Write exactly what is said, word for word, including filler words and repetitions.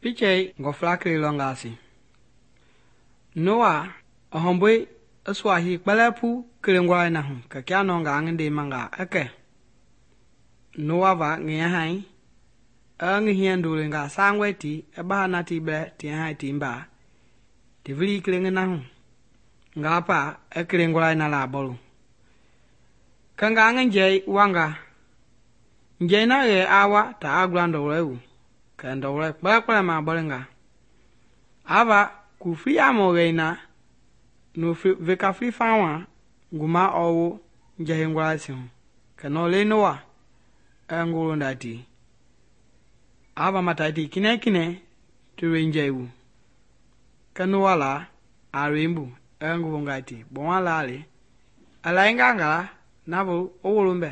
Pichɛi ngɔfla kele lɔngaa si. Noa i hɔmbɔi i sua hii kpɛlɛɛ pu kelengɔlai na hu kɛ kia nɔngaa ngi ndeemangaa i kɛ Noa va ngi yahai i ngi hiɛndolengaa sangɔe ti i baha na ti bɛɛ ti yahai ti mbaa ti vilii kele ngi na hu ngaa pa i kelengɔlai na labɔlu. Kɛ ngaa ngi njɛi wanga. Njɛi na yɛ a wa ta a gula ndɔlɔi wu kɛ ndɔlɔi kpɛlɛɛ kpɛlɛɛ mabɔlinga. A va kufuli yamɔ wɛi na no veka fuli fawaa nguma ɔɔ wo njɛ heingɔlai si hu kɛ nɔɔlɛi Noa i ngi wolonda ti. A va matai ti kinɛiŋ kinɛiŋ ti loi njɛi wu. Kɛ Noa laa a loi bu i ngi wongai ti gbɔma laa le. I lainga ngala navoo i wolo mbɛ